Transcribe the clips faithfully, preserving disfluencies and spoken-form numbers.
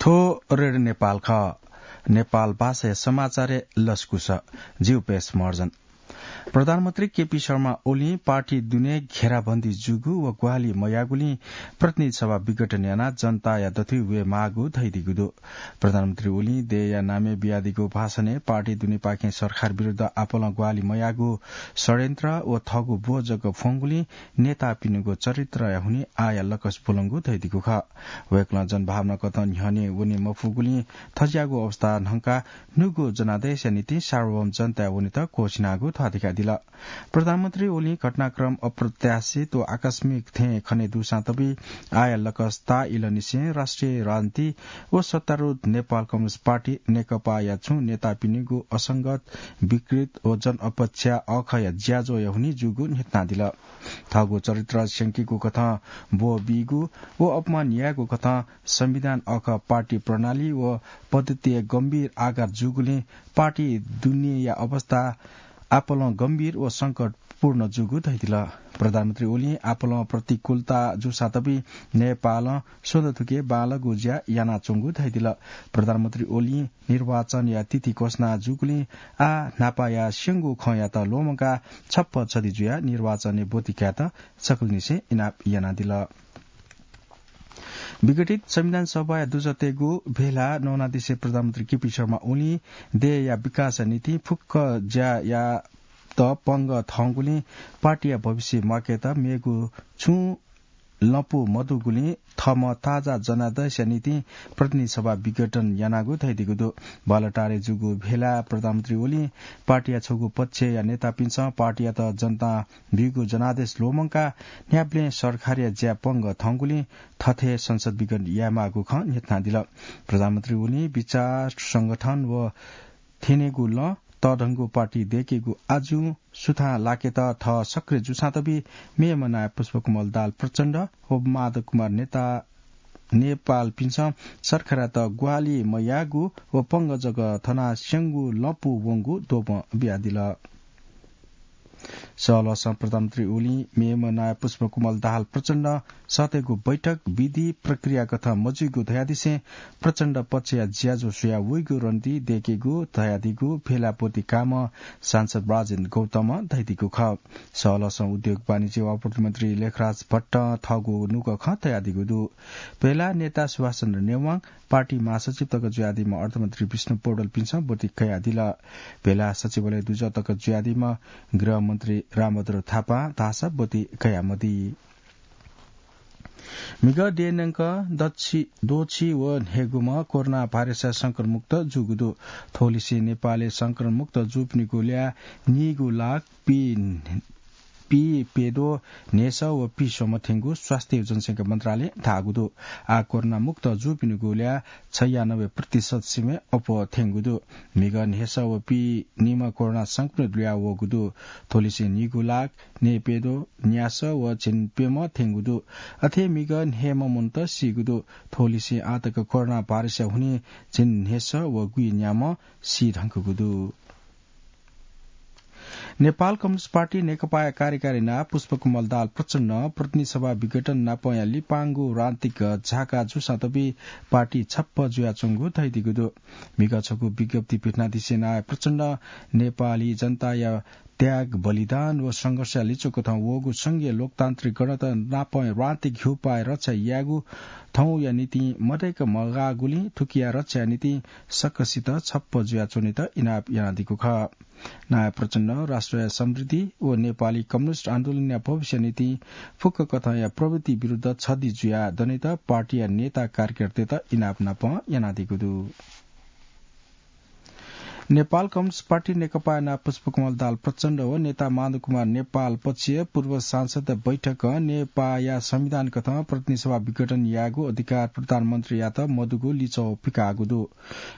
थ्व रेडियो नेपाल खः। नेपाल भाषाया समाचारय् लसकुस। जिगु पेश महर्जन। प्रधानमन्त्री केपी शर्मा ओलीं पार्टी दुने घेराबन्दी जूगु व ग्वाहालि मयाःगुलिं प्रतिनिधि सभा विघटन यानाः जनताया दथुइ वयेमाःगु धयादीगु दु। प्रधानमन्त्री ओलीं देय्‌या नामय् बियादीगु भाषणय् पार्टी दुनेपाखें सरकार विरुद्ध आपालं ग्वाहालि मयाःगु षड्यन्त्र व थःगु ब्व जक फ्वंगुलिं नेतापिनिगु चरित्रया हुनिं आःया लकस ब्वलंगु धयादीगु खः। वय्‌कलं जनभावना कथं न्ह्यःने वने मफुगुलिं थज्याःगु अवस्था न्हंकाः न्हूगु जनादेशया निंतिं सार्वभौम जनताय् वनेत क्वःछिनागु ध्वाथुइकादिल। प्रधानमन्त्री ओलीं घटनाक्रम अप्रत्याशित व आकस्मिक थें खने दुसां तबि आःया लकस ताःइलंनिसें राष्ट्रिय राजनीति व सत्तारूढ नेपाल कम्युनिस्ट पार्टी नेकपाया छुं नेतापिनिगु असंगत, विकृत व जनअपेक्षा अःखया ज्याझ्वःया हुनिं जूगु न्ह्यथनादिल। थःगु चरित्र स्यंकीगु कथं ब्व बीगु व अपमान यायेगु कथं संविधान अःख पार्टी प्रणाली व पद्धतिया गम्भीर आघात जूगुलिं पार्टी दुनेया अवस्था आपालं गम्भीर व संकटपूर्ण जूगु धयादिल। प्रधानमन्त्री ओलीं आपालं प्रतिकूलता जूसां तबि नेपालं स्वन्हु थुके बांलाःगु ज्या यानाच्वंगु धयादिल। प्रधानमन्त्री ओलीं निर्वाचनया तिथि घोषणा जूगुलिं आः न्हापाया स्यंगु खँयात ल्वःमंकाः छप्पँ छधि जुयाः निर्वाचनय् ब्वति कायेत सकलनिसें इनाप यानादिल। विघटित संविधान सभाया दुजःतेगु भेला नवानादिसे प्रधानमन्त्री केपी शर्मा ओलीं देय्‌या विकासया निंतिं फुक्क ज्या यायेत पंगः थंगुलिं पार्टीया भविष्य म्वाकेत मेगु छुं लँपु मदुगुलिं थःम्हं ताजा जनादेशया निंतिं प्रतिनिधि सभा विघटन यानागु धयादीगु दु। बालटारय् जूगु भेलाय् प्रधानमन्त्री ओलीं पार्टीया छगू पक्षया नेतापिन्सं पार्टीयात जनतां ब्यूगु जनादेश ल्वःमंकाः न्ह्याबलें सरकारया ज्या पंगः थंगुलिं थथे संसद विघटन यायेमाःगु खँ न्ह्यथनादिल। प्रधानमन्त्री ओलीं विचार, संगठन व थ्यनेगु लँ तःधंगु पार्टी दय्‌केगु आजुं सुथां लाकेत थः सक्रिय जूसां तबि मेम्ह नायः पुष्पकमल दाहाल प्रचण्ड व माधव कुमार नेता नेपालपिन्सं सरकारयात ग्वाहालि मयाःगु व पंगः जक थनाः स्यंगु लँपु वंगु द्वपं बियादिल। सहलहसं प्रधानमन्त्री ओलीं मेम्ह नायः पुष्पकमल दाहाल प्रचण्डं सःतेगु बैठक विधि प्रक्रिया कथं मजुइगु धयादिसें प्रचण्ड पक्षया ज्याझ्वः स्वयाः वइगु रणनीति दय्‌केगु धयादीगु भेलाय् ब्वति काःम्ह सांसद राजेन्द्र गौतमं धयादीगु खः। सहलहसं उद्योग वाणिज्य व आपूर्ति मन्त्री लेखराज भट्टं थःगु नुगः खँ तयादीगु दु। भेलाय् नेता सुभाष चन्द्र नेवाङ, पार्टी महासचिव तक जुयादीम्ह अर्थमन्त्री विष्णु पौडेलपिन्सं ब्वति कयादिल। भेलाय् सचिवालय दुजः तक जुयादीम्ह गृहमन्त्री रामभद्र थापां धाःसा ब्वति कयामदी। म्हिगः देय्‌न्यंक दछि, दोछि व न्हय्‌गूम्ह कोरोना भाइरसया संक्रमणमुक्त जूगु दु। थ्वलिसें नेपालय् संक्रमणमुक्त जूपिनिगु ल्याः नीगू लाख पी, पी प्यद्वः न्हय्‌सः व पी स्वम्ह थ्यंगु स्वास्थ्य व जनसंख्या मन्त्रालयं धाःगु दु। आः कोरोनामुक्त जूपिनिगु ल्याः छयानब्बे प्रतिशत सिबें अप्वः थ्यंगु दु। म्हिगः न्हय्‌सः व पी निम्ह कोरोना संक्रमित ल्हुयावःगु दु। थ्वलिसें नीगू लाख न्हय्‌प्यद्वः न्यासः व झिंप्यम्ह थ्यंगु दु। अथे म्हिगः न्हय्‌म्ह मनूत सीगु दु। थ्वलिसें आःतक कोरोना भाइरसया हुनिं झिंन्हय्‌सः व गुइन्याम्ह सी धुंकूगु दु। नेपाल कम्युनिस्ट पार्टी नेकपाया कार्यकारी नायः पुष्पकमल दाहाल प्रचण्डं प्रतिनिधि सभा विघटन नापंया लिपांगु राजनीतिक झाका जूसां तबि पार्टी छप्पँ जुयाच्वंगु धयादीगु दु। म्हिगः छगू विज्ञप्ति पिथनादिसें नायः प्रचण्डं नेपाली जनताया त्याग, बलिदान व संघर्षया लिच्वकथं वःगु संघीय लोकतान्त्रिक गणतन्त्र नापं राजनीतिक घ्युपाः रक्षा यायेगु थौंया निंतिं मदय्‌क मगाःगुलिं थुकिया रक्षाया निंतिं सकसित छप्पँ जुयाच्वनेत इनाप यानादीगु खः। नायः प्रचण्डं राष्ट्रया समृद्धि व नेपाली कम्युनिस्ट आन्दोलनया भविष्यया निंतिं फुक्क कथंया प्रवृत्ति विरुद्ध छधि जुयाः दनेत पार्टीया नेता कार्यकर्तात इनाप नापं यानादीगु दु। नेपाल कम्युनिस्ट पार्टी नेकपाया नायः पुष्पकमल दाहाल प्रचण्ड व नेता माधव कुमार नेपाल पक्षया पूर्व सांसद बैठकं नेपाःया संविधान कथं प्रतिनिधि सभा विघटन यायेगु अधिकार प्रधानमन्त्रीयात मदुगु लिच्वः पिकाःगु दु।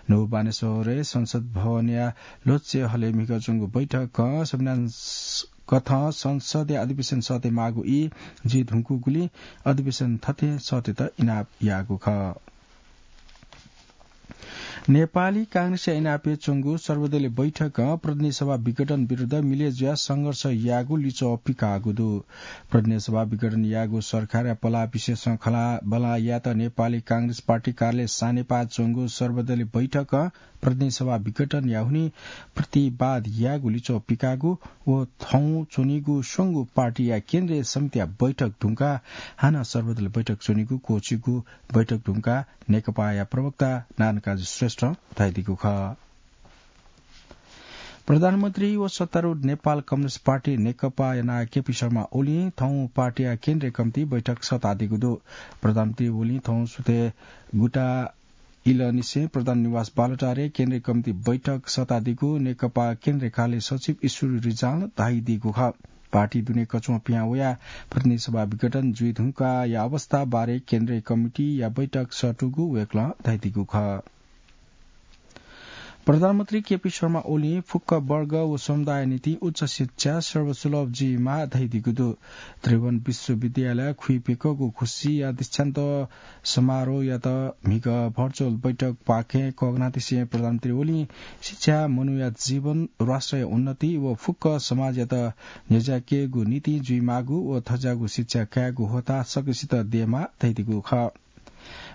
न्हू बानेश्वरय् संसद भवनया ल्होच्चे हलय् म्हिगः च्वंगु बैठकं संविधान स-, कथं संसदया अधिवेशन सःतेमाःगु ई जुइ धुंकूगुलिं अधिवेशन थथें सःतेत इनाप याःगु खः। नेपाली कांग्रेसया इनापय् च्वंगु सर्वदलीय बैठकं प्रतिनिधि सभा विघटन विरुद्ध मिले जुयाः संघर्ष यायेगु लिच्वः पिकाःगु दु। प्रतिनिधि सभा विघटन यायेगु सरकारया पलाः विशेषं खँल्हाबल्हा यायेत नेपाली कांग्रेस पार्टी कार्यालय सानेपाः च्वंगु सर्वदलीय बैठकं प्रतिनिधि सभा विघटन याःगु हुनिं प्रतिवाद यायेगु लिच्वः पिकाःगु व थौं च्वनीगु स्वंगू पार्टीया केन्द्रीय समितिया बैठक धुंकाः हानं सर्वदलीय बैठक च्वनीगु क्वःछिगु बैठक धुंकाः नेकपाया प्रवक्ता नारायणकाजी श्रेष्ठं धयादीगु खः। प्रधानमन्त्री व सत्तारूढ नेपाल कम्युनिस्ट पार्टी नेकपाया नायः केपी शर्मा ओलीं थौं पार्टीया केन्द्रीय कमिटी बैठक सःतादीगु दु। प्रधानमन्त्री ओलीं थौं सुथय् गुता इलंनिसें प्रधान निवास बालुटारय् केन्द्रीय कमिटी बैठक सःतादीगु नेकपा केन्द्रीय कार्यालय सचिव ईश्वरी रिजालं धयादीगु खः। पार्टी दुने कछुं पिहां वयाः प्रतिनिधि सभा विघटन जुइ धुंकाःया अवस्था बारे केन्द्रीय कमिटीया बैठक सःतूगु वय्कलं धयादीगु खः। प्रधानमन्त्री केपी शर्मा ओलीं फुक्क वर्ग व समुदाय निंतिं उच्च शिक्षा सर्वसुलभ जुइमाः धयादीगु दु। त्रिभुवन विश्वविद्यालय खुइपिकःगु खुसीया दीक्षान्त समारोहयात म्हिगः virtual बैठकपाखें कःघानादिसें प्रधानमन्त्री ओलीं शिक्षा, मनूया जीवन, राष्ट्रया उन्नति व फुक्क समाजयात न्ह्यज्याकेगु निंतिं जुइमाःगु व थज्याःगु शिक्षा कायेगु ह्वःताः सकसित दयेमाः धयादीगु खः।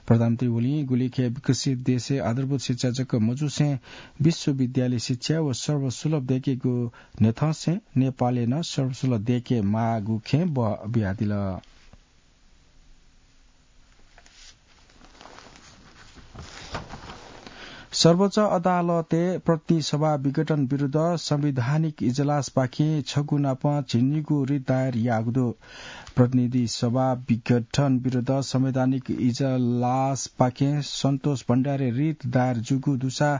प्रधानमन्त्री ओलीं गुलिखे विकसित देशय् आधारभूत शिक्षा जक मजुसें विश्वविद्यालय शिक्षा व सर्वसुलभ दयेकेगु न्ह्यथंसें नेपालय् नं सर्वसुलभ दयेके माःगु खँय् बः बियादिल। सर्वोच्च अदालतय् प्रतिनिधि सभा विघटन विरुद्ध संवैधानिक इजलासपाखें छगू नाप झिंनिगू रिट दायर याःगु दु। प्रतिनिधि सभा विघटन विरुद्ध संवैधानिक इजलासपाखें सन्तोष भण्डारीया रिट दायर जूगु दुसा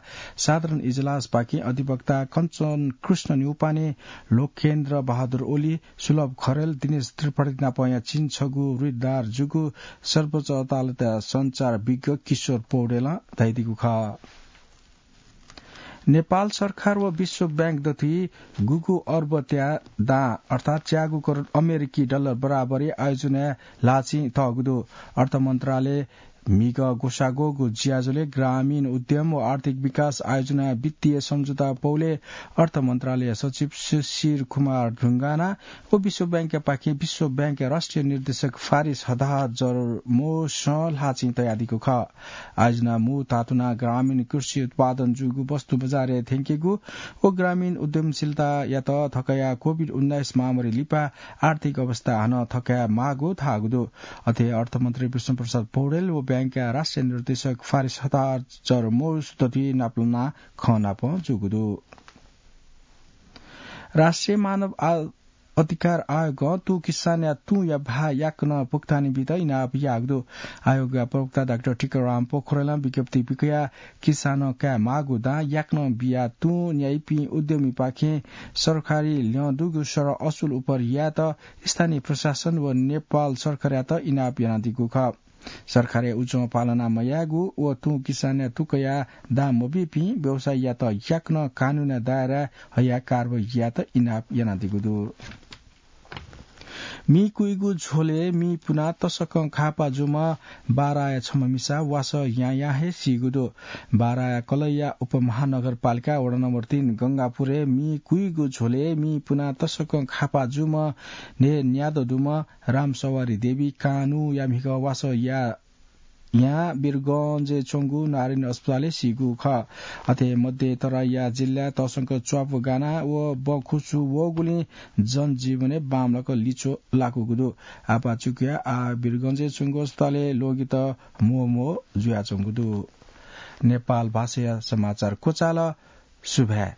साधारण इजलासपाखें अधिवक्ता कञ्चन कृष्ण न्यौपाने, लोकेन्द्र बहादुर ओली, सुलभ खरेल, दिनेश त्रिपाठी नापया झिंछगू रिट दायर जूगु सर्वोच्च अदालतया सञ्चार विज्ञ किशोर पौडेलं धयादीगु खः। नेपाल सरकार व विश्व बैंक दथुइ गुगु अर्बया दां अर्थात् च्यागू करोड अमेरिकी डलर बराबरया आयोजनाय् ल्हाःचिं तःगु दु। अर्थ मन्त्रालय म्हिगः ग्वसाः ग्वःगु ज्याझ्वलय् ग्रामीण उद्यम व आर्थिक विकास आयोजनाया वित्तीय सम्झौता पौलय् अर्थ मन्त्रालय सचिव शिशिर कुमार ढुङ्गाना व विश्व बैंकया पाखें विश्व बैंकया राष्ट्रिय निर्देशक फारिस हदाजरमोसं ल्हाःचिं तयादीगु खः। आयोजना मू धातुना ग्रामीण कृषि उत्पादन जूगु वस्तु बजारय् थ्यंकेगु व ग्रामीण उद्यमशीलतायात थकाया कोभिड उन्नाइस महामारी लिपा आर्थिक अवस्था हानं थकाये माःगु धाःगु दु। अथे अर्थमन्त्री विष्णुप्रसाद पौडेल व बैंकया राष्ट्रिय निर्देशक फारिस हदाजरमोस दथुइ नापलाना खँ नाप जूगु दु। राष्ट्रिय मानव आ-, अधिकार आयोगं तुं किसानया तुंया भाः याकनं भुक्तानी बीत इनाप याःगु दु। आयोगया प्रवक्ता डाक्टर टीकाराम पोखरेलं विज्ञप्ति पिकयाः किसानं काये माःगु दां याकनं बियाः तुं न्याइपिं उद्यमीपाखें सरकारी ल्यं दुगु सरह असुल उपर यायेत स्थानीय प्रशासन व नेपाल सरकारयात इनाप यानादीगु खः। सरकारया उजं पालना मयायेगु व तुं किसानया तुकया दां मबीपिं व्यवसायीयात याकनं कानूनया दायराय् हयाः कारवाही यायेत इनाप यानादीगु दु। मी कुइगु झ्वलय् मी पुनाः तसकं खापा जूम्ह बाराया छम्ह मिसा वासः यां यां हे सीगु दु। बाराया कलैया उपमहानगरपालिका वडा नम्बर तीन गंगापुरय् मी कुइगु झ्वलय् मी पुनाः तसकं खापा जूम्ह न्हय् न्यादँ दुम्ह रामसवारी देवी कानुया म्हिगः वासः यां यां वीरगंजय् च्वंगु नारायणी अस्पतालय् सीगु खः। अथे मध्य तराईया जिल्लाय् तसकं च्वापु गाना व बँखुसु वःगुलिं जनजीवनय् बांमलाक लिच्वः लाकूगु दु। आपाः चुकया आः वीरगंजय् च्वंगु अस्पतालय् ल्वगित म्वःम्वः जुयाच्वंगु दु। नेपाल भाषाया समाचार क्वचाल। सुभाय्।